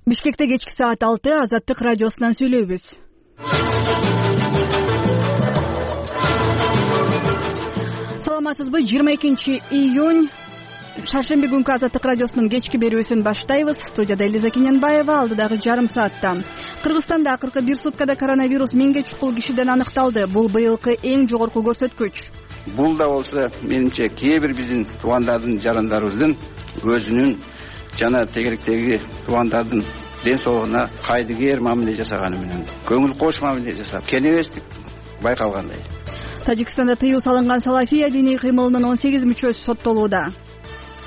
Бишкекте кечки саат 6 Азаттык радиосунан сүйлөйбүз. Саламатсызбы? 22 июнь шаршемби күнкү Азаттык радиосунун кечки берүүсүн баштайбыз. Студияда Элиза Киненбаева, алдыдагы жарым саатта. Кыргызстанда акыркы бир суткада коронавирус 1000ге чукул кишиден аныкталды. Бул быйылкы эң жогорку көрсөткүч. Бул да болсо менимче кээ бир биздин туугандардын, жарандарыбыздын өзүнүн жана тегеректеги туугандардын ден соолугуна кайдыгер мамиле жасаганы менен көңүл кош мамиле жасап кенебестик байкалгандай. Тажикстанда тыюу салынган салафия диний кыймылынын 18 мүчөсү соттолууда.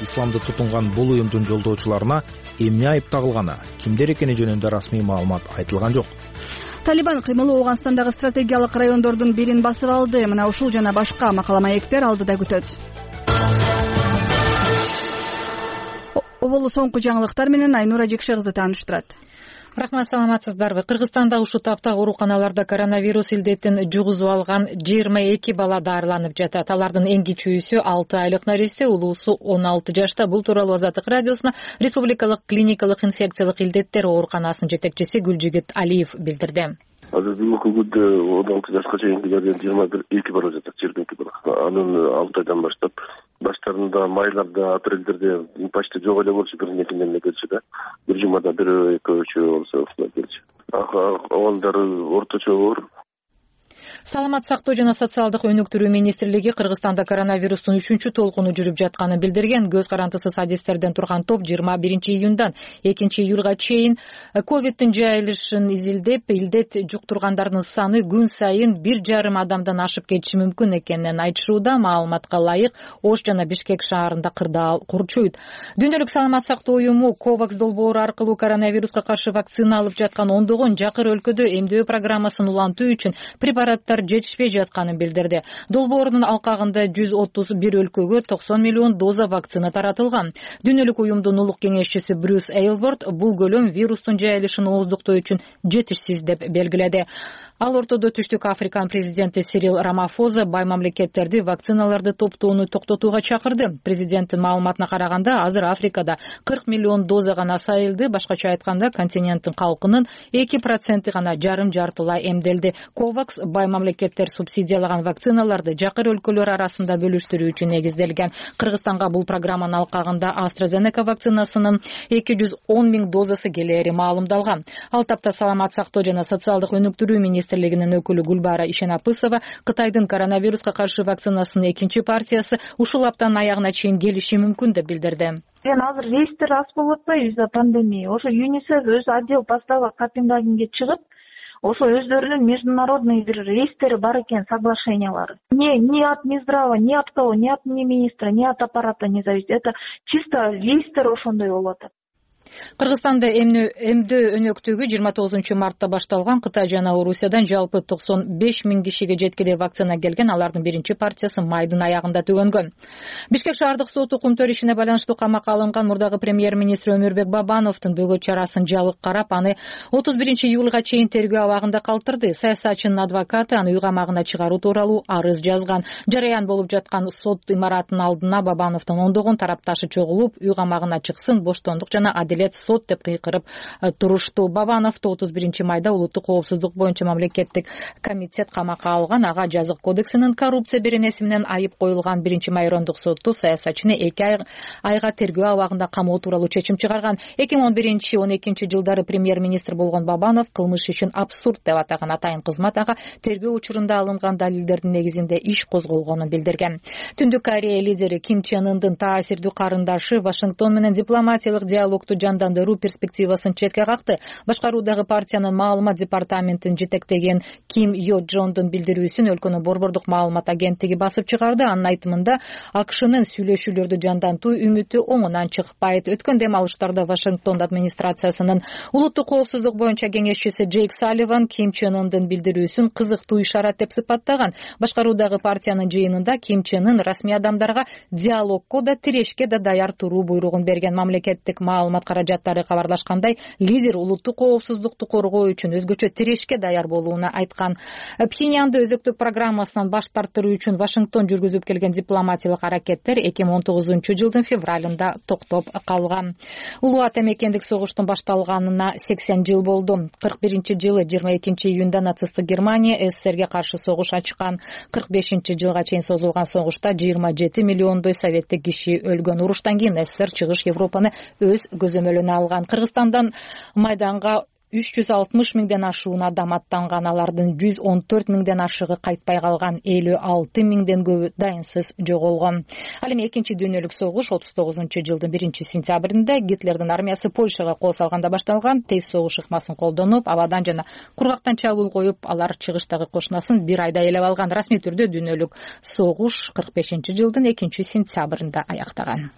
Исламды тутунган бул уюмдун жолдоочуларына эмне айып тагылганы, кимдер экени жөнүндө расмий маалымат айтылган жок. Талибан кыймылы Ооганстандагы стратегиялык райондордун бирин басып алды. Мына ушул жана башка макала маектер алдыда күтөт. Оболу соңку жаңылыктар менен Айнура Жекше кызы тааныштырат. Рахмат, саламатсыздарбы? Кыргызстанда ушул тапта ооруканаларда коронавирус илдетин жугузуп алган 22 бала дарыланып жатат. Алардын эң кичүүсү 6 айлык нарисе, улуусу 16 жашта. Бул тууралуу Азаттык радиосуна Республикалык клиникалык инфекциялык илдеттер ооруканасынын жетекчиси Гүлжигит Алиев билдирди. Азыр бүгүнкү күндө 16 жашка чейинкилерден 22 бала жатат, жергиликтүү бала. Анын 6 айдан баштап баштарында майларда, апрелдерде почти жок эле болчу, биринекинен келчү да. Бир жумада бир экөөчү болсо ушундай келчү. Оолдары орточо оор. Саламат сактоо жана социалдык өнүктүрүү министрлиги Кыргызстанда коронавирустун 3-чү толкуну жүрүп жатканын билдирген. Көз карандысыз адистерден турган топ 21 июндан 2 июлга чейин ковидтин жайылышын изилдеп, илдет жуктургандардын саны күн сайын 1,5 адамдан ашып кетиши мүмкүн экенин айтышууда. Маалыматка ылайык, Ош жана Бишкек шаарында кырдаал курчуйт. Дүйнөлүк саламат сактоо уюму COVAX долбоору аркылуу коронавируска каршы вакцина алып жаткан ондогон жакыр өлкөдө эмдөө программасын улантуу үчүн препараттар жетишпей жатканын билдирди. Долбоордун алкагында 131 өлкөгө 90 миллион доза вакцина таратылган. Дүйнөлүк уюмдун улук кеңешчиси Брюс Эйлворд бул көлөм вирустун жайылышын ооздуктоо үчүн жетишсиз деп белгиледи. Ал ортодо Түштүк Африканын президенти Сирил Рамафоза бай мамлекеттерди вакциналарды топтоону токтотууга чакырды. Президенттин маалыматына караганда, азыр Африкада 40 миллион доза гана сайылды. Башкача айтканда, континенттин калкынын 2% гана жарым-жартылай эмделди. COVAX бай мамлекеттер субсидиялаган вакциналарды жакыр өлкөлөр арасында бөлүштүрүү үчүн негизделген. Кыргызстанга бул программанын алкагында AstraZeneca вакцинасынын 210 000 дозасы келери маалымдалган. Ал тапта саламат сактоо жана социалдык өнүктүрүү министрлигинин өкүлү Гүлбара Ишенапысова Кытайдын коронавируска каршы вакцинасынын экинчи партиясы ушул аптанын аягына чейин келиши мүмкүн деп билдирди. Азыр рейстер аз болуп атпайбы из-за пандемия. Ошо ЮНИСЕФ өз отдел поставок Копенгагенге чыгып, ошо өздөрүнүн международный бир рейстери бар экен, соглашениялары. Ни от Минздрава, ни от кого, ни от министра, ни от аппарата не зависит. Это чисто рейстер ошондой болуп атат. Кыргызстанда эмдөө өнөктүгү 29 мартта башталган. Кытай жана Орусиядан жалпы 95 000 кишиге жеткиде вакцина келген. Алардын биринчи партиясы майдын аягында төгөнгөн. Бишкек шаардык соту Кумтөр ишине байланыштуу камакка алынган мурдагы премьер-министр Өмүрбек Бабановдун бөгөт чарасын жабык карап, аны 31 июлга чейин тергөө абагында калтырды. Саясатчынын адвокаты аны үй камагына чыгаруу тууралуу арыз жазган. Жараян болуп жаткан сот имаратынын алдына Бабановдун ондогон тарапташы чогулуп, үй камагына чыксын, боштондук жана сот деп кыйкырып турушту. Бабановду 31 майда улуттук коопсуздук боюнча мамлекеттик комитет камакка алган. Ага жазык кодексинин коррупция беренеси менен айып коюлган. 1 майрондук соту саясатчыны 2 айга тергөө абагында камоо тууралуу чечим чыгарган. 2011-12 жылдары премьер-министр болгон Бабанов кылмыш ишин абсурд деп атаган. Атайын кызмат ага тергөө учурунда алынган далилдердин негизинде иш козголгонун билдирген. Түндүк Корея лидери Ким Чен Ындын таасирдүү карындашы Вашингтон менен дипломатиялык диалогду жандандыруу перспективасын четке какты. Башкаруудагы партиянын маалымат департаментин жетектеген Ким Йо Джондун билдирүүсүн өлкөнүн борбордук маалымат агенттиги басып чыгарды. Анын айтымында АКШнын сүйлөшүүлөрдү жандантуу үмүтү оңунан чыкпайт. Өткөн дем алыштарда Вашингтон администрациясынын улуттук коопсуздук боюнча кеңешчиси Джейк Салливан Ким Чен Ындын билдирүүсүн кызыктуу ишарат деп сыпаттаган. Башкаруудагы партиянын жыйынында Ким Чен Ын расмий адамдарга диалогко да тирешке да даяр туруу буйругун берген. Мамлекеттик маалымат каражаты каражаттары кабарлашкандай, лидер улуттук коопсуздукту коргоо үчүн өзгөчө тирешке даяр болууну айткан. Пхеньянды өзөктүк программасынан баш тартыруу үчүн Вашингтон жүргүзүп келген дипломатиялык аракеттер 2019 жылдын февралында токтоп калган. Улуу ата мекендик согуштун башталганына 80 жыл болду. 41-жылы 22 июнда нацисттик Германия СССРге каршы согуш ачкан. 45-жылга чейин созулган согушта 27 миллиондой советтик киши өлгөн. Уруштан кийин СССР чыгыш Европаны өз көзөмөлүнө алган. Кыргызстандан майданга 360 миңден ашуун адам аттанган, алардын 114 миңден ашыгы кайтпай калган, 56 миңден көбү дайынсыз жоголгон. Ал эми экинчи дүйнөлүк согуш 39-жылдын 1-сентябрында Гитлердин армиясы Польшага кол салганда башталган. Тез согуш ыкмасын колдонуп, абадан жана кургактан чабуул коюп, алар чыгыштагы кошунасын бир айда ээлеп алган. Расмий түрдө дүйнөлүк согуш 45-жылдын 2-сентябрында аяктаган.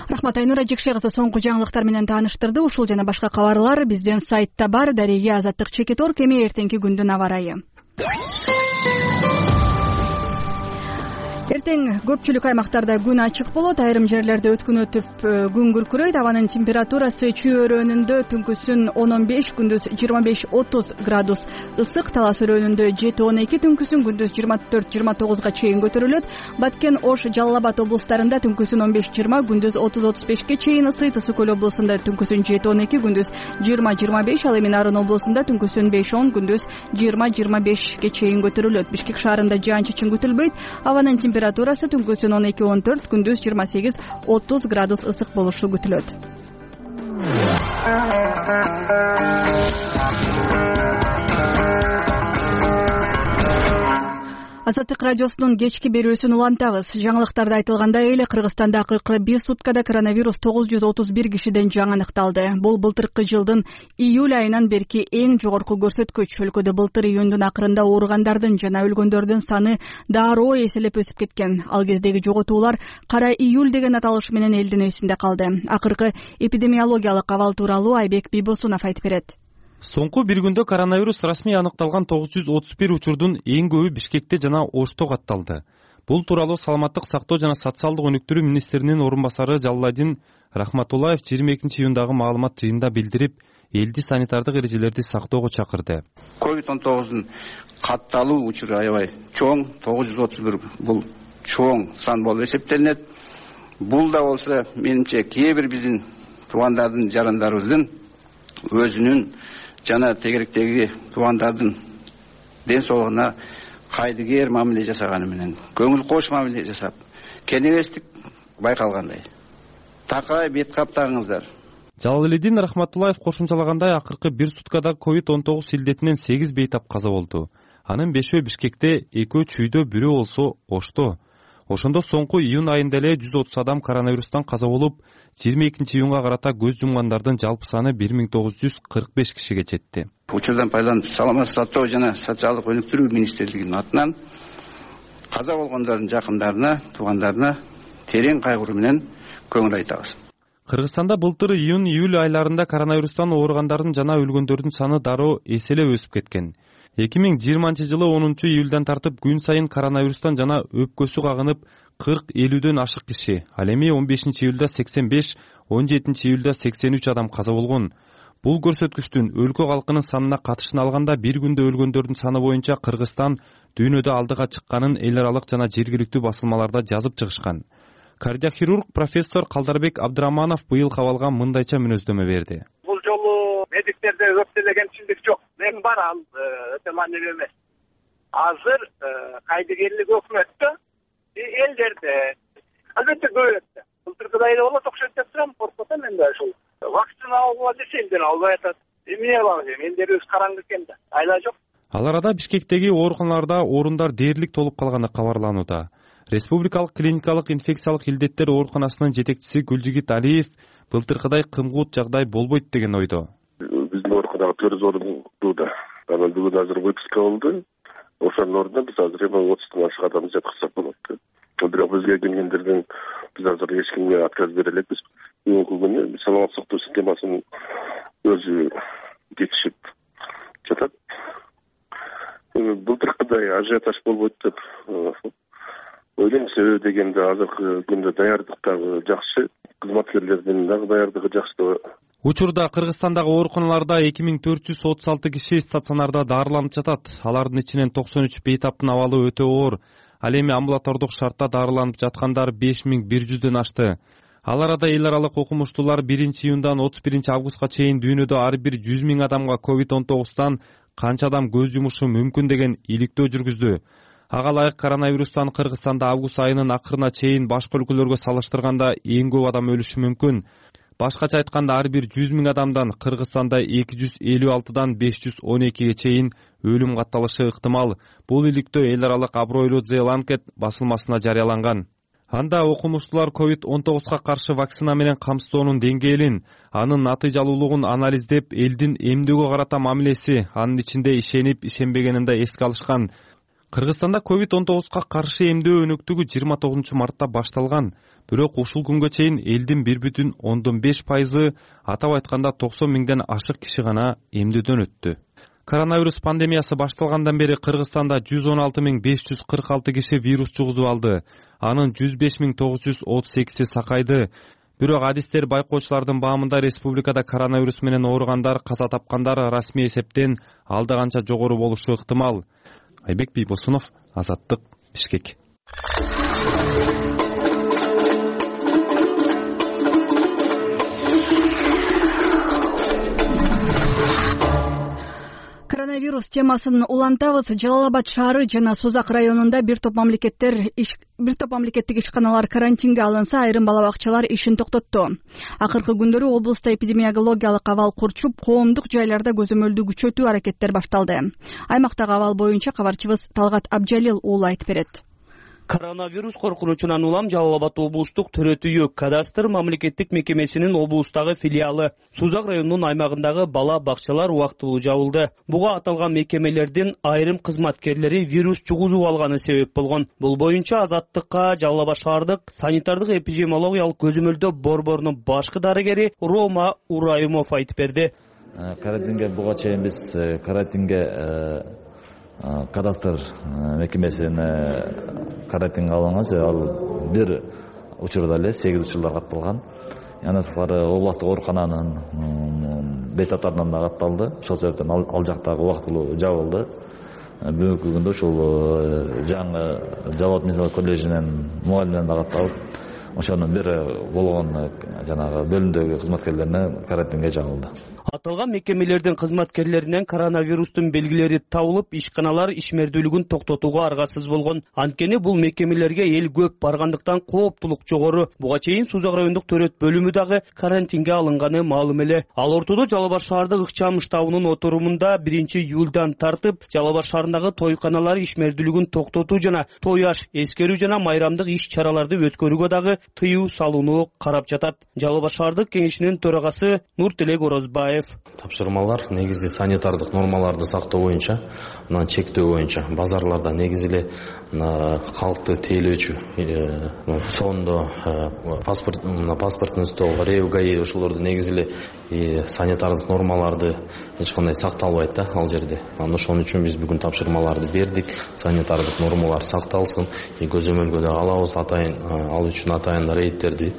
Рахмат, Айнура Жекше кызы соңку жаңылыктар менен тааныштырды. Ушул жана башка кабарлар биздин сайтта бар. Дареге Азаттык Чекитор. Эми эртеңки күндүн аба ырайы. Эртең көпчүлүк аймактарда күн ачык болот, айрым жерлерде өткүн өтүп күн күркүрөйт. Абанын температурасы чүй өрөөнүндө түнкүсүн 10-15, күндүз 25-30 градус ысык, Талас өрөөнүндө 7-12, түнкүсүн күндүз 24-29 чейин көтөрүлөт. Баткен, Ош, Жалал Абад облустарында түнкүсүн 15-20, күндүз 30-35 чейин ысыйт. Ысык көл облусунда түнкүсүн 7-12, күндүз 20-25, ал эми Нарын облусунда түнкүсүн 5-10, күндүз 20-25 чейин көтөрүлөт. Бишкек шаарында жаан-чачын күтүлбөйт. Абанын температурасы түнкүсүн 12-14, күндүз 28-30 градус ысык болушу күтүлөт. Азаттык радиосунун кечки берүүсүн улантабыз. Жаңылыктарда айтылгандай эле Кыргызстанда 41 суткада коронавирус 931 кишиден жаңы аныкталды. Бул былтыркы жылдын июль айынан берки эң жогорку көрсөткүч. Өлкөдө былтыр июндун акырында ооругандардын жана өлгөндөрдүн саны дароо эселеп өсүп кеткен. Ал кездеги жоготуулар кара июль деген аталыш менен элдин эсинде калды. Акыркы эпидемиологиялык абал тууралуу Айбек Бийбосунов айтып берет. Соңку бир күндө коронавирус расмий аныкталган 931 учурдун эң көбү Бишкекте жана Ошто катталды. Бул тууралуу Саламаттык сактоо жана социалдык өнүктүрүү министринин орун басары Жалладин Рахматуллаев 22 июндагы маалымат жыйынында билдирип, элди санитардык эрежелерди сактоого чакырды. COVID-19 катталуу учуру аябай чоң, 931 бул чоң сан болуп эсептелинет. Бул да болсо менимче кээ бир биздин туугандардын, жарандарыбыздын өзүнүн жана тегеректеги туугандардын ден соолугуна кайдыгер мамиле жасаганы менен, көңүл кош мамиле жасап, кенебестик байкалгандай. Такай бет каптагыңыздар. Жалалидин Рахматуллаев кошумчалагандай, акыркы бир суткада COVID-19 илдетинен 8 бейтап каза болду. Анын 5-өө Бишкекте, 2-өө Чүйдө, 1-өө болсо Ошто. Ошондо соңку июнь айында эле 130 адам коронавирустан каза болуп, 22 июнга карата көз жумгандардын жалпы саны 1945 кишиге жетти. Учурдан пайдаланып, Саламаттык сактоо жана социалдык өнүктүрүү министрлигинин атынан каза болгондордун жакындарына, туугандарына терең кайгыруу менен көңүл айтабыз. Кыргызстанда былтыр июнь-июль айларында коронавирустан ооругандардын жана өлгөндөрдүн саны дароо эселеп өсүп кеткен. 2020 жылы 10 июльдан тартып күн сайын коронавирустан жана өпкөсү кагынып 40-50дөн ашык киши, ал эми 15 июлда 85, 17 июлда 83 адам каза болгон. Бул көрсөткүчтүн өлкө калкынын санына катышын алганда бир күндө өлгөндөрдүн саны боюнча Кыргызстан дүйнөдө алдыга чыкканын эл аралык жана жергиликтүү басылмаларда жазып чыгышкан. Кардиохирург профессор Калдарбек Абдыраманов быйыл кабалга мындайча мүнөздөмө берди. Бул жолу медиктерде көптөгөнчүлүк жок. Мен бар, ал өтө маанилүү эмес. Азыр кайдыгерлик өкмөттө, элдерде албетте көбөйөт. Былтыркыдай эле болот окшойт деп турам, коркуп атам мен да ушул. Вакцина алгыла десе элдер албай атат. Эмне кылабыз эми, элдерибиз караңгы экен да. Айла жок. Ал арада Бишкектеги ооруканаларда орундар дээрлик толуп калганы кабарланууда. Республикалык клиникалык инфекциялык илдеттер ооруканасынын жетекчиси Гүлжигит Алиев былтыркыдай кымгуут жагдай болбойт деген ойдо. Биздин ооруканага 400 орун тууда. Анан бүгүн азыр выписка болду. Ошонун ордуна биз азыр 30 ашык адамды жаткызсак болот. Бирок бизге келгендерден биз азыр эч кимге отказ бере элекпиз. Бүгүнкү күнү саламаттык сактоо системасынын өзү кетишип жатат. Былтыркыдай ажиотаж болбойт деп ойлойм. Себеби дегенде азыркы күндө даярдык дагы жакшы, кызматкерлердин дагы даярдыгы жакшы деп Учурда Кыргызстандагы ооруканаларда 2436 киши стационарда дарыланып жатат. Алардын ичинен 93 бейтаптын абалы өтө оор. Ал эми амбулатордук шартта дарыланып жаткандар 5100дөн ашты. Ал арада эл аралык окумуштуулар 1-июндан 31-августка чейин дүйнөдө ар бир 100 000 адамга COVID-19 канча адам көз жумушу мүмкүн деген иликтөө жүргүздү. Ага ылайык коронавирустан Кыргызстанда август айынын акырына чейин башка өлкөлөргө салыштырганда эң көп адам өлүшү мүмкүн. Башкача айтканда ар бир 100 000 адамдан Кыргызстанда 256дан 512ге чейин өлүм катталышы ыктымал. Бул иликтөө эл аралык абройлуу The Lancet басылмасына жарыяланган. Анда окумуштуулар COVID-19 каршы вакцина менен камсыздоонун деңгээлин, анын натыйжалуулугун анализдеп, элдин эмдөөгө карата мамилеси, анын ичинде ишенип, ишенбегенин да эске алышкан. Кыргызстанда COVID-19 каршы эмдөө өнөктүгү 29 мартта башталган. Бирок ушул күнгө чейин элдин 1,5%, атап айтканда 90 000ден ашык киши гана эмдөөдөн өттү. Коронавирус пандемиясы башталгандан бери Кыргызстанда 116 546 киши вирус жугузуп алды. Анын 105 938 сакайды. Бирок адистер байкоочулардын баамында республикада коронавирус менен ооругандар, каза тапкандар расмий эсептен алда канча жогору болушу ыктымал. Айбек Бийбосунов, Азаттык, Бишкек. Коронавирус темасын улантабыз. Жалал Абад шаары жана Созак районунда бир топ мамлекеттик ишканалар карантинге алынса, айрым бала бакчалар ишин токтотту. Акыркы күндөрү облуста эпидемиологиялык абал курчуп, коомдук жайларда көзөмөлдү күчөтүү аракеттер башталды. Аймактагы абал боюнча кабарчыбыз Талгат Абжалил уулу айтып берет. Коронавирус коркунучунан улам Жалал Абад облустук төрөт үйү кадастр мамлекеттик мекемесинин облустагы филиалы Созак районунун аймагындагы бала бакчалар убактылуу жабылды. Буга аталган мекемелердин айрым кызматкерлери вирус жугузуп алганы себеп болгон. Бул боюнча Азаттыкка Жалал Абад шаардык санитардык эпидемиологиялык көзөмөлдөө борборунун башкы дарыгери Рома Урайымов айтып берди. Карантинге буга чейин биз кадастр мекемесине карантинге алынган, ал бир учурда эле 8 учурлар катталган. Андан сырткары областык оорукананын бейтаптарынан да катталды. Ошол себептен ал жактагы убактылуу жабылды. Бүгүнкү күндө ушул жаңы Жалал Абад медицина коллежинин мугалиминен да катталып, ошонун бир болгон жанагы бөлүмдөгү кызматкерлерине карантинге жабылды. Аталган мекемелердин кызматкерлеринен коронавирустун белгилери табылып, ишканалар ишмердүүлүгүн токтотууга аргасыз болгон. Анткени бул мекемелерге эл көп баргандыктан кооптулук жогору. Буга чейин Созак райондук төрөт бөлүмү дагы карантинге алынганы маалым эле. Ал ортодо Жалал Абад шаардык ыкчам штабынын отурумунда 1-июлдан тартып Жалал Абад шаарындагы тойканалар ишмердүүлүгүн токтотуу жана той аш, эскерүү жана майрамдык иш-чараларды өткөрүүгө дагы тыюу салууну карап жатат. Жалал Абад шаардык кеңешинин төрагасы Нуртелек Орозбаев: тапшырмалар негизи санитардык нормаларды сактоо боюнча, анан чектөө боюнча базарларда негизи эле калкты тейлөөчү сондо паспорттун стол, РЭУ, ГАИ ошолорду негизи эле санитардык нормаларды эч кандай сакталбайт да ал жерде. Анан ошон үчүн биз бүгүн тапшырмаларды бердик. Санитардык нормалар сакталсын, көзөмөлгө да алабыз, ал үчүн атайын рейдтерди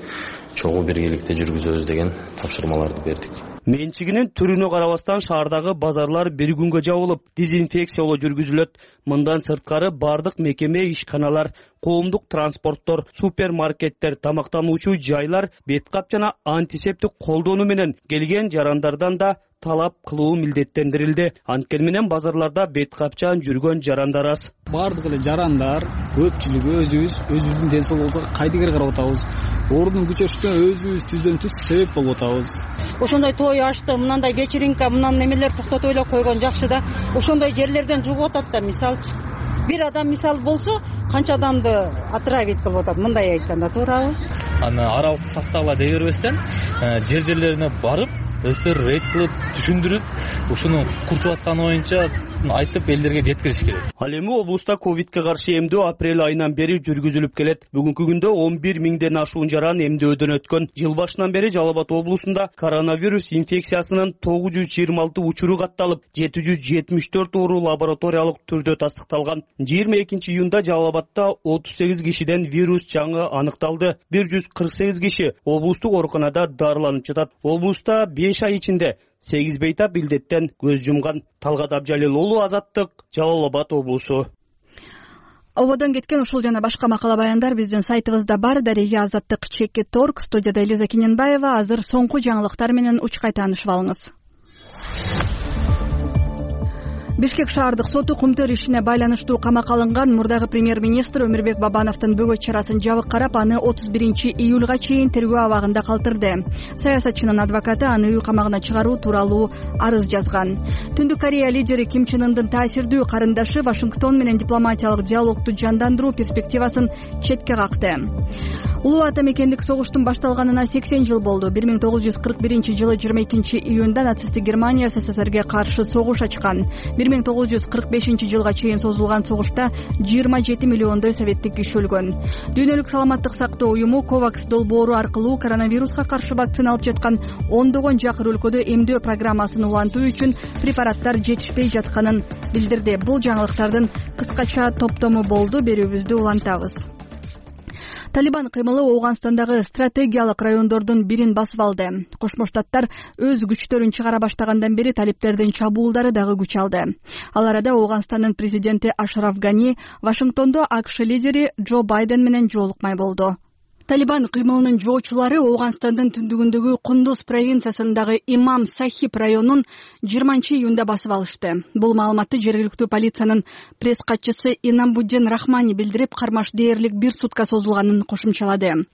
чогуу биргеликте жүргүзөбүз деген тапшырмаларды бердик. Менчигинин түрүнө карабастан шаардагы базарлар бир күнгө жабылып, дезинфекциялоо жүргүзүлөт. Мындан сырткары бардык мекеме, ишканалар, коомдук транспорттор, супермаркеттер, тамактануучу жайлар беткап жана антисептик колдонуу менен келген жарандардан да талап кылуу милдеттендирилди. Анткени менен базарларда беткапчан жүргөн жарандар аз. Бардык эле жарандар көпчүлүгү өзүбүздүн ден соолугубузга кайдыгер карап атабыз. Ордун күчөшүнө өзүбүз түздөн түз себеп болуп атабыз. Ошондой той ашты, мындай вечеринка, немелер токтотуп эле койгон жакшы да. Ошондой жерлерден жугуп атат да, мисалчы. Бир адам мисал болсо, канча адамды отравить кылып атат, мындай айтканда, туурабы? Аны аралыкты сактагыла дей бербестен, жерлерине барып, өздөрү рейд кылып, түшүндүрүп, ушуну курчуп атканы боюнча айтып элдерге жеткириш керек. Ал эми облуста ковидке каршы эмдөө апрель айынан бери жүргүзүлүп келет. Бүгүнкү күндө 11 000ден ашуун жаран эмдөөдөн өткөн. Жыл башынан бери Жалал Абад облусунда коронавирус инфекциясынын 926 учуру катталып, 774 оору лабораториялык түрдө тастыкталган. 22-июнда Жалал Абадда 38 кишиден вирус жаңы аныкталды. 148 киши облустук ооруканада дарыланып жатат. Облуста 5 5 ай ичинде 8 бейтап илдеттен көз жумган. Талгат Абжалил уулу, Азаттык, Жалал Абад облусу. Ободон кеткен ушул жана башка макала баяндар биздин сайтыбызда бар. Дарега Азаттык.org. Студияда Элиза Киненбаева. Азыр соңку жаңылыктар менен учкай таанышып алыңыз. Бишкек шаардык соту Кумтөр ишине байланыштуу камакка алынган мурдагы премьер-министр Өмүрбек Бабановдун бөгөт чарасын жабык карап, аны 31-июлга чейин тергөө абагында калтырды. Саясатчынын адвокаты аны үй камагына чыгаруу тууралуу арыз жазган. Түндүк Корея лидери Ким Чен Ындын таасирдүү карындашы Вашингтон менен дипломатиялык диалогду жандандыруу перспективасын четке какты. Улуу ата мекендик согуштун башталганына 80 жыл болду. 1941-жылы 22-июнда нацисттик Германия СССРге каршы согуш ачкан. 1945-жылга чейин созулган согушта 27 миллиондой советтик киши өлгөн. Дүйнөлүк саламаттык сактоо уюму COVAX долбоору аркылуу коронавируска каршы вакцина алып жаткан ондогон жакыр өлкөдө эмдөө программасын улантуу үчүн препараттар жетишпей жатканын билдирди. Бул жаңылыктардын кыскача топтому болду. Берүүбүздү улантабыз. Талибан кыймылы Ооганстандагы стратегиялык райондордун бирин басып алды. Кошмо Штаттар өз күчтөрүн чыгара баштагандан бери талиптердин чабуулдары дагы күч алды. Ал арада Ооганстандын президенти Ашраф Гани Вашингтондо АКШ лидери Джо Байден менен жолукмай болду. Талибан кыймылынын жоочулары Ооганстандын түндүгүндөгү Кундуз провинциясындагы Имам Сахиб районун 20-июнда басып алышты. Бул маалыматты жергиликтүү полициянын пресс катчысы Инамбуддин Рахмани билдирип, кармаш дээрлик 1 сутка созулганын кошумчалады.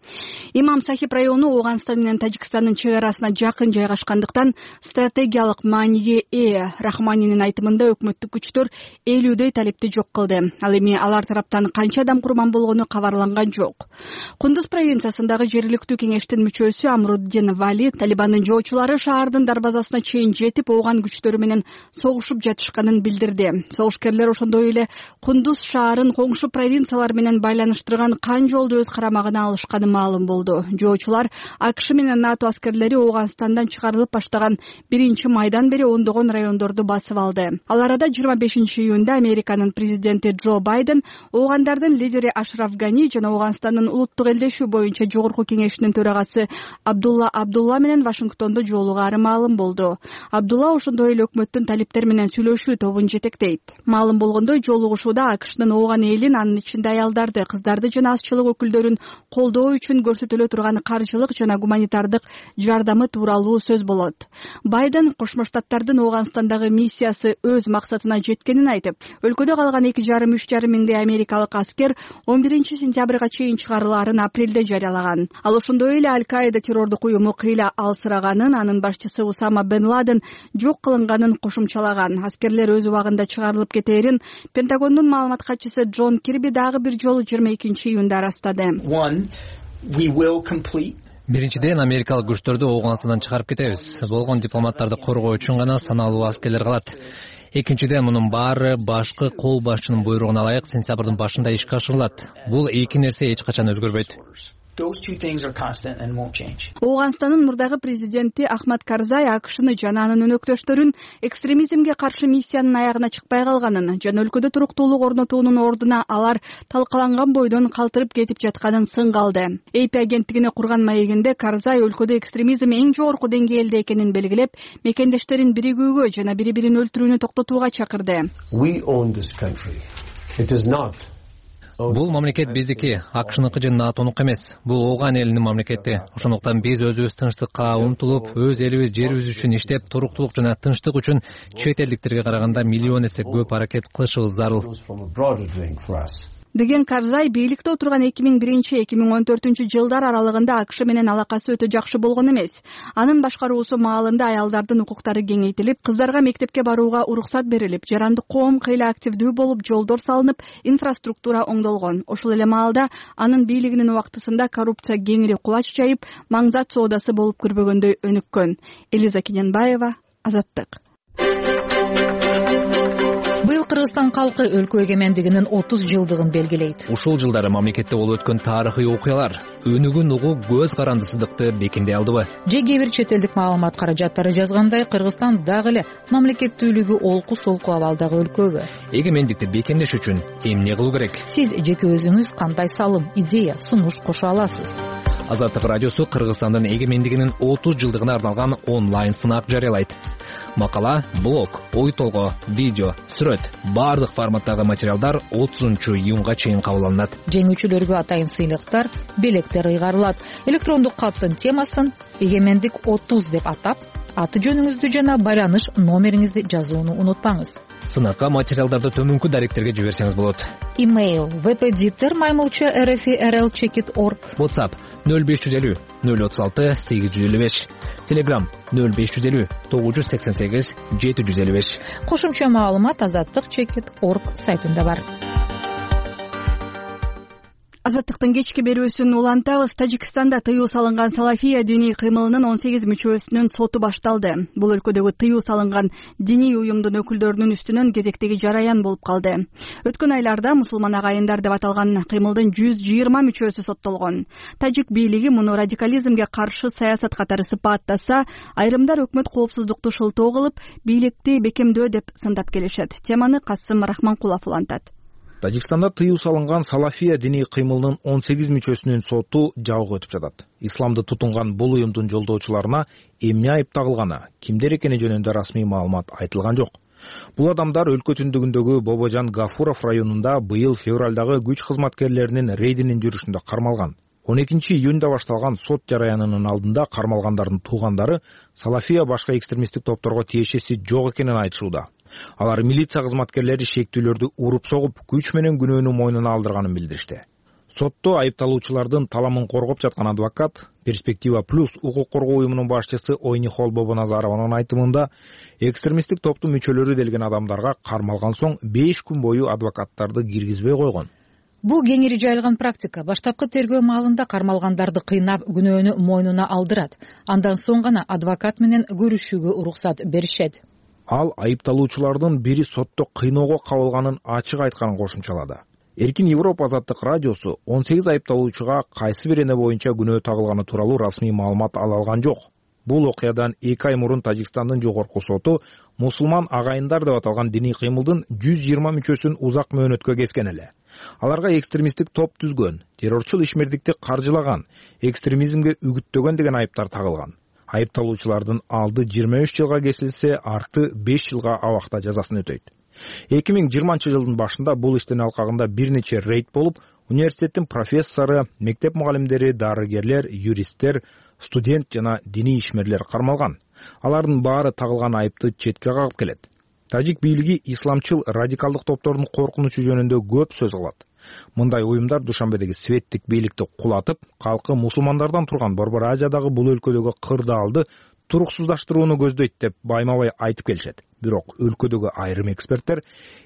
Имам Сахиб району Ооганстан менен Тажикстандын чек арасына жакын жайгашкандыктан стратегиялык мааниге ээ. Рахманинин айтымында өкмөттүк күчтөр 50дөй талипти жок кылды. Ал эми алар тараптан канча адам курман болгону кабарланган жок. Кундуз провинциясындагы жергиликтүү кеңештин мүчөсү Амруддин Вали Талибандын жоочулары шаардын дарбазасына чейин жетип, ооган күчтөрү менен согушуп жатышканын билдирди. Согушкерлер ошондой эле Кундуз шаарын коңшу провинциялар менен байланыштырган кан жолду өз карамагына алышканы маалым болду. Жоочулар АКШ менен НАТО аскерлери Ооганстандан чыгарылып баштаган 1-майдан бери ондогон райондорду басып алды. Ал арада 25-июнда Американын президенти Джо Байден оогандардын лидери Ашраф Гани жана Ооганстандын улуттук элдешүү боюнча жогорку кеңешинин төрагасы Абдулла менен Вашингтондо жолугаары маалым болду. Абдулла ошондой эле өкмөттүн талиптер менен сүйлөшүү тобун жетектейт. Маалым болгондой, жолугушууда АКШнын ооган элин, анын ичинде аялдарды, кыздарды жана азчылык өкүлдөрүн колдоо үчүн көрсөтүлө турган каржылык жана гуманитардык жардамы тууралуу сөз болот. Байден Кошмо Штаттардын Ооганстандагы миссиясы өз максатына жеткенин айтып, өлкөдө калган 2,5–3,5 миңдей америкалык аскер 11-сентябрга чейин чыгарылаарын апрелде жарыялаган. Ал ошондой эле Аль-Каида террордук уюму кыйла алсыраганын, анын башчысы Усама бен Ладен жок кылынганын кошумчалаган. Аскерлер өз убагында чыгарылып кетээрин Пентагондун маалымат катчысы Джон Кирби дагы бир жолу 22-июнда ырастады. Биринчиден, америкалык күчтөрдү Ооганстандан чыгарып кетебиз. Болгон дипломаттарды коргоо үчүн гана саналуу аскерлер калат. Экинчиден, мунун баары башкы кол башчынын буйругуна ылайык сентябрдын башында ишке ашырылат. Бул эки нерсе эч качан өзгөрбөйт. Ооганстандын мурдагы президенти Ахмад Карзай АКШны жана анын өнөктөштөрүн экстремизмге каршы миссиянын аягына чыкпай калганын жана өлкөдө туруктуулук орнотуунун ордуна алар талкаланган бойдон калтырып кетип жатканын сынга алды. AP агенттигине курган маегинде Карзай өлкөдө экстремизм эң жогорку деңгээлде экенин белгилеп, мекендештерин биригүүгө жана бири-бирин өлтүрүүнү токтотууга чакырды. Бул мамлекет биздики, АКШныкы же НАТОнуку эмес. Бул ооган элинин мамлекети. Ошондуктан биз өзүбүз тынчтыкка умтулуп, өз элибиз, жерибиз үчүн иштеп, туруктулук жана тынчтык үчүн чет элдиктерге караганда миллион эсе көп аракет кылышыбыз зарыл. Деген Карзай бийликте отурган 2001–2014 аралыгында АКШ менен алакасы өтө жакшы болгон эмес. Анын башкаруусу маалында аялдардын укуктары кеңейтилип, кыздарга мектепке барууга уруксат берилип, жарандык коом кыйла активдүү болуп, жолдор салынып, инфраструктура оңдолгон. Ошол эле маалда анын бийлигинин убактысында коррупция кеңири кулач жайып, маңзат соодасы болуп көрбөгөндөй өнүккөн. Элиза Киненбаева, Азаттык. Быйыл Кыргызстан калкы өлкө эгемендигинин 30 жылдыгын белгилейт. Ушул жылдары мамлекетте болуп өткөн тарыхый окуялар өнүгүн угуу көз карандысыздыкты бекемдей алдыбы? Же кээ бир чет элдик маалымат каражаттары жазгандай, Кыргызстан дагы эле мамлекеттүүлүгү олку-солку абалдагы өлкөбү? Эгемендикти бекемдеш үчүн эмне кылуу керек? Сиз жеке өзүңүз кандай салым, идея, сунуш кошо аласыз? Азаттык радиосу Кыргызстандын эгемендигинин 30 жылдыгына арналган онлайн сынак жарыялайт. Макала, блог, ой толгоо, видео, сүрөт баардык форматтагы материалдар 30-июнга чейин кабыл алынат. Жеңүүчүлөргө атайын сыйлыктар, белектер ыйгарылат. Электрондук каттын темасын «Эгемендик 30» деп атап, аты жөнүңүздү жана байланыш номериңизди жазууну унутпаңыз. Сынакка материалдарды төмөнкү даректерге жиберсеңиз болот. Имейл vpditter@rl-checkit.org. WhatsApp 0550 036 855. Telegram 0550 988 755. Кошумча маалымат azattik.checkit.org сайтында бар. Азаттыктын кечки берүүсүн улантабыз. Тажикстанда тыюу салынган Салафия диний кыймылынын 18 мүчөсүнүн соту башталды. Бул өлкөдөгү тыюу салынган диний уюмдун өкүлдөрүнүн үстүнөн кезектеги жараян болуп калды. Өткөн айларда мусулман агайындар деп аталган кыймылдын 120 мүчөсү соттолгон. Тажик бийлиги муну радикализмге каршы саясат катары сыпаттаса, айрымдар өкмөт коопсуздукту шылтоо кылып, бийликти бекемдөө деп сындап келишет. Теманы Касым Рахманкулов улантат. Тажикстанда тыюу салынган Салафия диний кыймылынын 18 мүчөсүнүн соту жабык өтүп жатат. Исламды тутунган бул уюмдун жолдоочуларына эмне айып тагылганы, кимдер экени жөнүндө расмий маалымат айтылган жок. Бул адамдар өлкө түндүгүндөгү Бобожан Гафуров районунда быйыл февралдагы күч кызматкерлеринин рейдинин жүрүшүндө кармалган. 12-июнда башталган сот жараянынын алдында кармалгандардын туугандары Салафия башка экстремисттик топторго тиешеси жок экенин айтышууда. Алар милиция кызматкерлери шектүүлөрдү уруп согуп, күч менен күнөөнү мойнуна алдырганын билдиришти. Сотто айыпталуучулардын таламын коргоп жаткан адвокат Перспектива плюс укук коргоо уюмунун башчысы Ойнихол Бобоназарованын айтымында, экстремисттик топтун мүчөлөрү делген адамдарга кармалган соң 5 күн бою адвокаттарды киргизбей койгон. Бул кеңири жайылган практика. Баштапкы тергөө маалында кармалгандарды кыйнап, күнөөнү мойнуна алдырат. Андан соң гана адвокат менен көрүшүүгө уруксат беришет. Ал айыпталуучулардын бири сотто кыйноого кабылганын ачык айтканын кошумчалады. Эркин Европа азаттык радиосу 18 айыпталуучуга кайсы бир эне боюнча күнөө тагылганы тууралуу расмий маалымат ала алган жок. Бул окуядан 2 ай мурун Тажикстандын жогорку соту мусулман агайындар деп аталган диний кыймылдын 120 мүчөсүн узак мөөнөткө кескен эле. Аларга экстремисттик топ түзгөн, террорчул ишмердикти каржылаган, экстремизмге үгүттөгөн деген айыптар тагылган. Айыпталуучулардын алды 23 жылга кесилсе, арты 5 жылга абакта жазасын өтөйт. 2020 жылдын башында бул иштин алкагында бир нече рейд болуп, университеттин профессору, мектеп мугалимдери, дарыгерлер, юристтер, студент жана диний ишмерлер кармалган. Алардын баары тагылган айыпты четке кагып келет. Тажик бийлиги исламчыл радикалдык топтордун коркунучу жөнүндө көп сөз кылат. Мындай уюмдар Душанбедеги светтик бийликти кулатып, калкы мусулмандардан турган Борбор Азиядагы бул өлкөдөгү кырдаалды туруксуздаштырууну көздөйт деп байма-бай айтып келишет. Бирок өлкөдөгү айрым эксперттер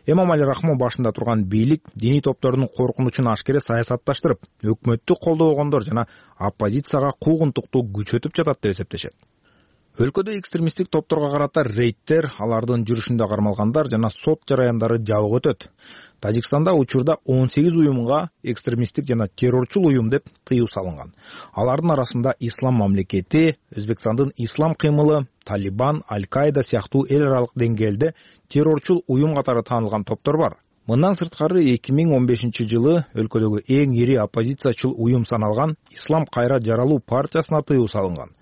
Эмомали Рахмон башында турган бийлик диний топтордун коркунучун ашкере саясатташтырып, өкмөттү колдобогондор жана оппозицияга куугунтукту күчөтүп жатат деп эсептешет. Өлкөдө экстремисттик топторго карата рейдтер, алардын жүрүшүндө кармалгандар жана сот жараяндары жабык өтөт. Тажикстанда учурда 18 уюмга экстремисттик жана террорчул уюм деп тыюу салынган. Алардын арасында Ислам мамлекети, Өзбекстандын ислам кыймылы, Талибан, Аль-Каида сыяктуу эл аралык деңгээлде террорчул уюм катары таанылган топтор бар. Мындан сырткары 2015 жылы өлкөдөгү эң ири оппозициячыл уюм саналган Ислам кайра жаралуу партиясына тыюу салынган.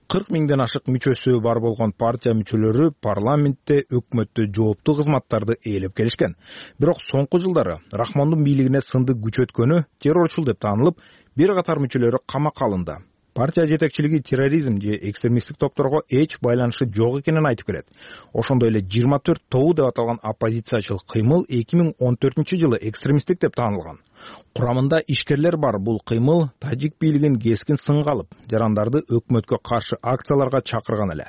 40 миңден ашык мүчөсү бар болгон партия мүчөлөрү парламентте өкмөттө жооптуу кызматтарды ээлеп келишкен. Бирок соңку жылдары Рахмондун бийлигине сынды күчөткөнү террорчул деп таанылып, бир катар мүчөлөрү камакка алынды. Партия жетекчилиги терроризм же экстремисттик топторго эч байланышы жок экенин айтып келет. Ошондой эле 24 тобу деп аталган оппозициячыл кыймыл 2014 жылы экстремисттик деп таанылган. Курамында ишкерлер бар бул кыймыл тажик бийлигин кескин сынга алып, жарандарды өкмөткө каршы акцияларга чакырган эле.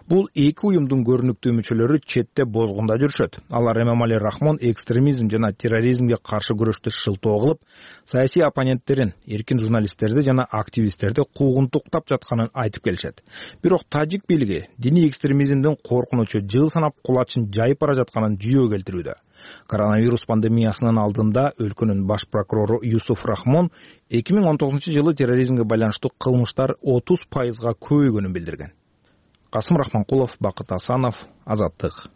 Бул эки уюмдун көрүнүктүү мүчөлөрү четте бозгунда жүрүшөт. Алар Эмомали Рахмон экстремизм жана терроризмге каршы күрөштү шылтоо кылып, саясий оппоненттерин, эркин журналисттерди жана активисттерди куугунтуктап жатканын айтып келишет. Бирок тажик бийлиги диний экстремизмдин коркунучу жыл санап кулачын жайып бара жатканын жүйө келтирүүдө. Коронавирус пандемиясынын алдында өлкөнүн баш прокурору Юсуф Рахмон 2019 жылы терроризмге байланыштуу кылмыштар 30%га көбөйгөнүн билдирген. Касым Рахманкулов, Бакыт Асанов, Азаттык.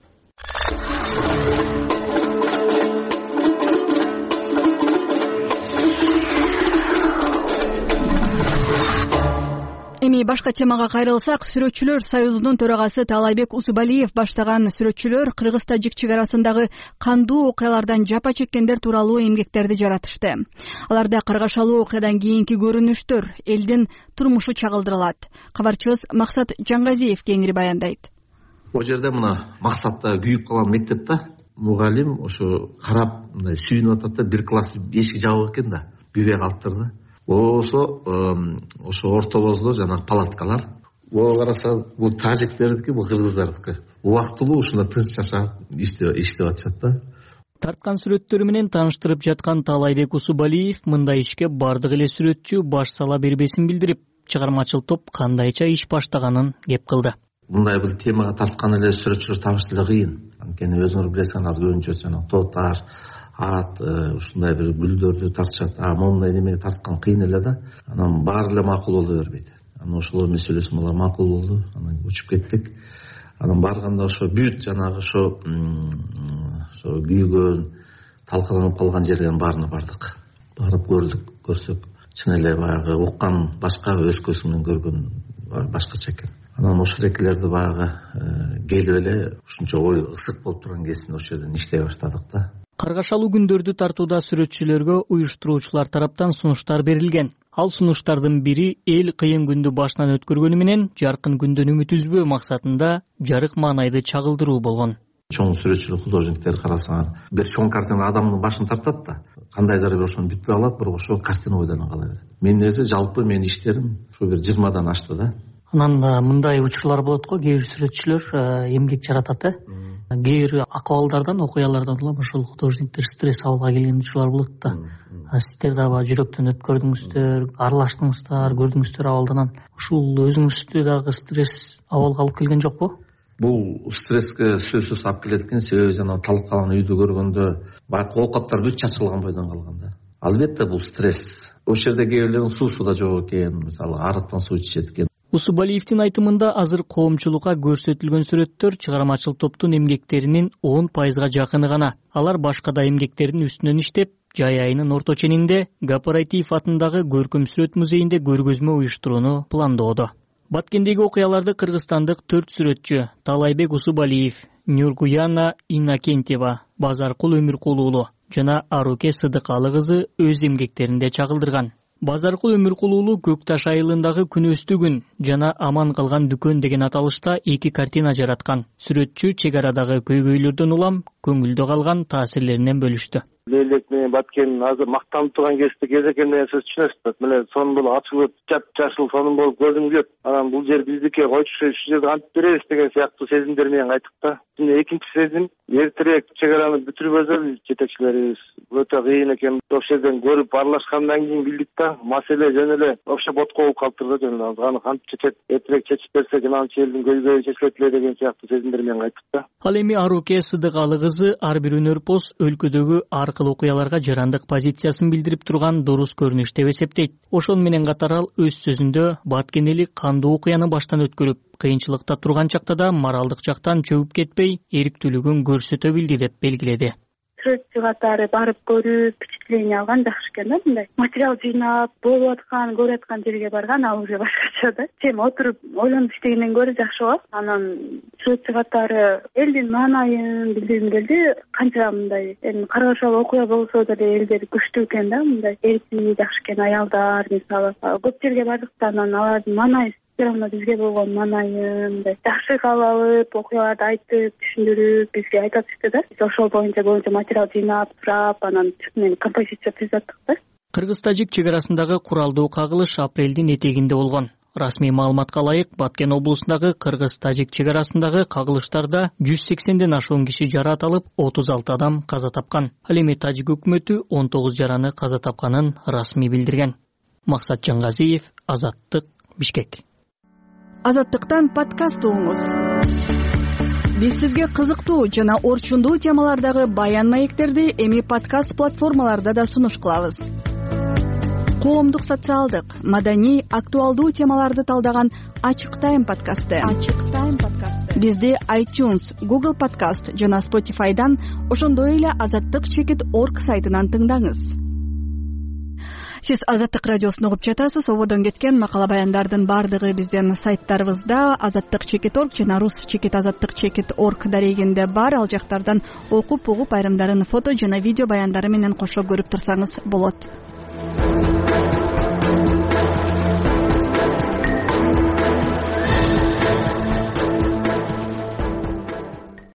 Эми башка темага кайрылсак, Сүрөтчүлөр союзунун төрагасы Таалайбек Усубалиев баштаган сүрөтчүлөр кыргыз-тажик чек арасындагы кандуу окуялардан жапа чеккендер тууралуу эмгектерди жаратышты. Аларда каргашалуу окуядан кийинки көрүнүштөр, элдин турмушу чагылдырылат. Кабарчыбыз Максат Жаңгазиев кеңири баяндайт. Бул жерде мына Максатта күйүп калган мектепте мугалим ошо карап мындай сүйүнүп атат да, бир класс эшиги жабык экен да, күйбөй калыптыр да. Ошо ортобоздо жанагы палаткалар. Караса бул тажиктердики, бул кыргыздардыкы. Убактылуу ушунда тынч жашап иштеп атышат да. Тарткан сүрөттөрү менен тааныштырып жаткан Таалайбек Усубалиев мындай ишке бардык эле сүрөтчү баш сала бербесин билдирип, чыгармачыл топ кандайча иш баштаганын кеп кылды. Мындай бир темага тарткан эле сүрөтчүлөр табыш деле кыйын. Анткени өзүңөр билесиң, азыр көбүнчө жанагы тоотар, ат, ушундай бир гүлдөрдү тартышат. Мондай немеге тарткан кыйын эле да. Анан баары эле макул боло бербейт. Анан ошолор менен сүйлөшүп, алар макул болду. Анан учуп кеттик. Анан барганда ошо бүт жанагы ошо күйгөн, талкаланып калган жерге баарына бардык. Барып көрсөк, чын эле баягы уккан башка, өз көзү менен көргөн башкача экен. Анан ошол экилерди баягы келип эле ушунча ой ысык болуп турган кезинде ошол жерден иштей баштадык да. Каргашалуу күндөрдү тартууда сүрөтчүлөргө уюштуруучулар тараптан сунуштар берилген. Ал сунуштардын бири эл кыйын күндү башынан өткөргөнү менен жаркын күндөн үмүт үзбөө максатында жарык маанайды чагылдыруу болгон. Чоң сүрөтчүлүк художниктер карасаңар, бир чоң картина адамдын башын тартат да, кандайдыр бир ошону бүтпөй калат, бирок ошо картина ойдон кала берет. Менин эсе жалпы менин иштерим ушу бир 20дан ашты да. Анан мындай учурлар болот го, кээ бир сүрөтчүлөр эмгек жаратат, кээ бир акыбалдардан, окуялардан улам ошол художниктер стресс абалга келген учурлар болот да. Сиздер дагы жүрөктөн өткөрдүңүздөр, аралаштыңыздар, көрдүңүздөр абалдан. Ушул өзүңүздү дагы стресс абалга алып келген жокпу? Бул стресске сөзсүз алып келет экен, себеби жанагы талкалан үйдү көргөндө байкы оокаттар бүт чачылган бойдон калган да. Албетте бул стресс. Ошол жерде кээ бирлердин суусу да жок экен, мисалы арыктан суу ичишет экен. Усубалиевдин айтымында азыр коомчулукка көрсөтүлгөн сүрөттөр чыгармачыл топтун эмгектеринин 10% жакыны гана. Алар башка да эмгектердин үстүнөн иштеп, жай айынын орто ченинде Гапаратиев атындагы Көркөм сүрөт музейинде көргөзмө уюштурууну пландоодо. Баткендеги окуяларды кыргызстандык 4 сүрөтчү Таалайбек Усубалиев, Нургуяна Иннокентьева, Базаркул Өмүркулуулу жана Аруке Сыдыкалы кызы өз эмгектеринде чагылдырган. Базаркул Өмүркулуулу Көк Таш айылындагы күнөстүгүн жана Аман калган дүкөн деген аталышта 2 картина жараткан. Сүрөтчү чек арадагы көйгөйлөрдөн улам көңүлдө калган таасирлеринен бөлүштү. Лейлек менен Баткен азыр мактанып турган кезде экен деген сөз түшүнөсүз. Мына сонун болуп ачылып, жап-жашыл сонун болуп көрдүм деп, анан бул жер биздики, койчу ушул жерде кантип беребиз деген сыяктуу сезимдер менен кайттык да. Экинчи сезим, эртерээк чек араны бүтүрбөсө жетекчилерибиз өтө кыйын экен. Ошол жерден көрүп аралашкандан кийин билдик да, маселе жөн эле вообще ботко болуп калыптыр да, жөн аны кантип чечет, эртерээк чечип берсек, ананчы элдин көйгөйү чечилет эле деген сыяктуу сезимдер менен кайттык да. Ал эми Аруке Сыдыкалы кызы ар бир өнөрпоз өлкөдөгү ар кыл окуяларга жарандык позициясын билдирип турган дурус көрүнүш деп эсептейт. Ошону менен катар ал өз сөзүндө баткенелик кандуу окуяны баштан өткөрүп, кыйынчылыкта турган чакта да моралдык жактан чөгүп кетпей, эриктүүлүгүн көрсөтө билди деп белгиледи. Сүрөтчү катары барып көрүп, впечатление алган жакшы экен да, мындай. Материал жыйнап, болуп аткан, көрүп аткан жерге барган, ал уже башкача да. Сен отуруп ойлонуп иштегенден көрө жакшы го. Анан сүрөтчү катары элдин маанайын билдиргим келди. Канча мындай каргашалуу окуя болсо деле элдер күчтүү экен да, мындай. Эркин жакшы экен аялдар, мисалы. Көп жерге бардыкта анан алардын маанайы бизге болгон маанайын жакшы кабыл алып, окуяларды айтып, түшүндүрүп, бизге айтып атышты да. Биз ошол боюнча материал жыйнап, сурап, анан мен композиция түзөттүк да. Кыргыз-тажик чек арасындагы куралдуу кагылыш апрелдин этегинде болгон. Расмий маалыматка ылайык, Баткен облусундагы кыргыз-тажик чек арасындагы кагылыштарда 180ден ашуун киши жараат алып, 36 адам каза тапкан. Ал эми тажик өкмөтү 19 жараны каза тапканын расмий билдирген. Максат Жаңгазиев, Азаттык, Бишкек. Азаттыктан подкаст угуңуз. Биз сизге кызыктуу жана орчундуу темалардагы баян маектерди эми подкаст платформаларда да сунуш кылабыз. Коомдук, социалдык, маданий, актуалдуу темаларды талдаган Ачык Тайм подкасты. Бизди iTunes, Google Podcast жана Spotify'дан, ошондой эле Азаттык.org сайтынан тыңдаңыз. Сиз Азаттык радиосун угуп жатасыз. Ободон кеткен макала баяндардын баардыгы биздин сайттарыбызда azattik.org жана rus.azattik.org дарегинде бар. Ал жактардан окуп угуп айрымдарын фото жана видео баяндары менен кошо көрүп турсаңыз болот.